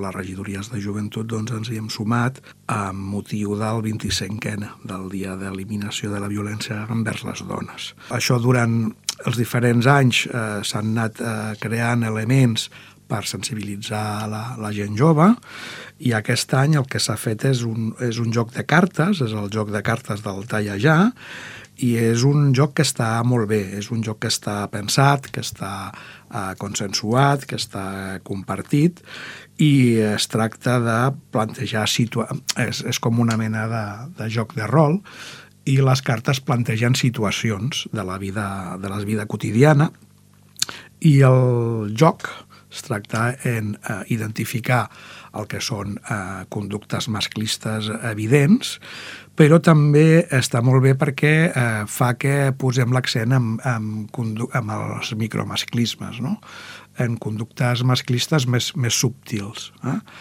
les regidories de joventut doncs, ens hi hem sumat amb motiu del 25è, del Dia d'Eliminació de la Violència envers les dones. Això durant els diferents anys s'han anat creant elements per sensibilitzar la gent jove, i aquest any el que s'ha fet és un joc de cartes, és el joc de cartes del Talla Ja, i és un joc que està molt bé, és un joc que està pensat, que està consensuat, que està compartit, i es tracta de plantejar és com una mena de joc de rol, i les cartes plantegen situacions de la vida quotidiana, i el joc es tracta en identificar el que són conductes masclistes evidents, però també està molt bé perquè fa que posem l'accent en els micromasclismes, no? En conductes masclistes més subtils.